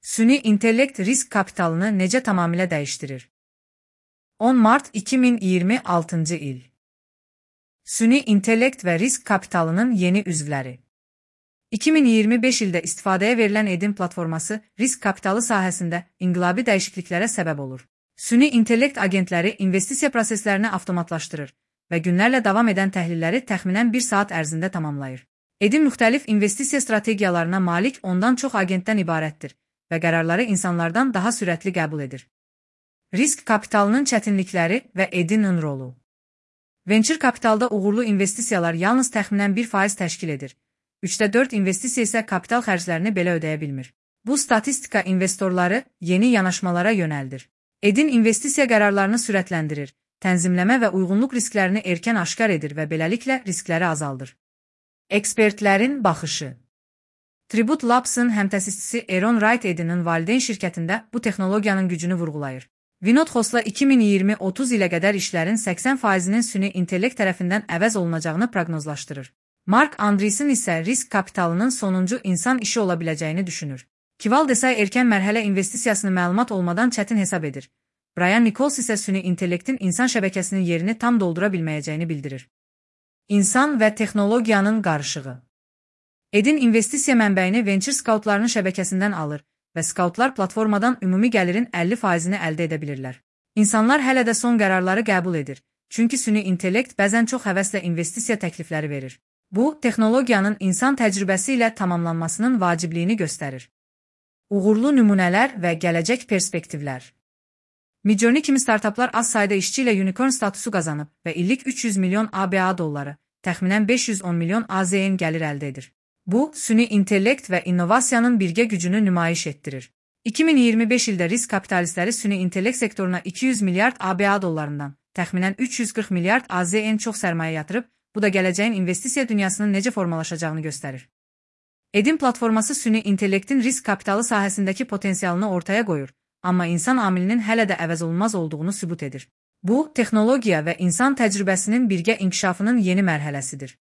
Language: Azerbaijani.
Süni intellekt risk kapitalını necə tamamilə dəyişdirir? 10 mart 2026 il. Süni intellekt və risk kapitalının yeni üzvləri. 2025 ildə istifadəyə verilən Edin platforması risk kapitalı sahəsində inqilabi dəyişikliklərə səbəb olur. Süni intellekt agentləri investisiya proseslərini avtomatlaşdırır və günlərlə davam edən təhlilləri təxminən 1 saat ərzində tamamlayır. Edin müxtəlif investisiya strategiyalarına malik ondan çox agentdən ibarətdir və qərarları insanlardan daha sürətli qəbul edir. Risk kapitalının çətinlikləri və Edinin rolu. Venture kapitalda uğurlu investisiyalar yalnız təxminən 1% təşkil edir. 3/4 investisiya isə kapital xərclərini belə ödəyə bilmir. Bu statistika investorları yeni yanaşmalara yönəldir. Edin investisiya qərarlarını sürətləndirir, tənzimləmə və uyğunluq risklərini erkən aşkar edir və beləliklə riskləri azaldır. Ekspertlərin baxışı. Tribute Labs'ın həmtəsisçisi Aaron Wright Edinin valideyn şirkətində bu texnologiyanın gücünü vurğulayır. Vinod Khosla 2020-30 ilə qədər işlərin 80%-nin süni intellekt tərəfindən əvəz olunacağını proqnozlaşdırır. Mark Andreessen isə risk kapitalının sonuncu insan işi ola biləcəyini düşünür. Kival Desai erkən mərhələ investisiyasını məlumat olmadan çətin hesab edir. Brian Nichols isə süni intellektin insan şəbəkəsinin yerini tam doldura bilməyəcəyini bildirir. İnsan və texnologiyanın qarışığı. Edin investisiya mənbəyini venture skautlarının şəbəkəsindən alır və skautlar platformadan ümumi gəlirin 50%-ni əldə edə bilirlər. İnsanlar hələ də son qərarları qəbul edir, çünki süni intellekt bəzən çox həvəslə investisiya təklifləri verir. Bu, texnologiyanın insan təcrübəsi ilə tamamlanmasının vacibliyini göstərir. Uğurlu nümunələr və gələcək perspektivlər. Midjourney kimi startaplar az sayda işçi ilə unicorn statusu qazanıb və illik 300 milyon ABA dolları, təxminən 510 milyon AZN gəlir əldə edir. Bu, süni intellekt və innovasiyanın birgə gücünü nümayiş etdirir. 2025 ildə risk kapitalistləri süni intellekt sektoruna 200 milyard ABA dollarından, təxminən 340 milyard AZN çox sərmayə yatırıb, bu da gələcəyin investisiya dünyasının necə formalaşacağını göstərir. Edin platforması süni intellektin risk kapitalı sahəsindəki potensialını ortaya qoyur, amma insan amilinin hələ də əvəz olunmaz olduğunu sübut edir. Bu, texnologiya və insan təcrübəsinin birgə inkişafının yeni mərhələsidir.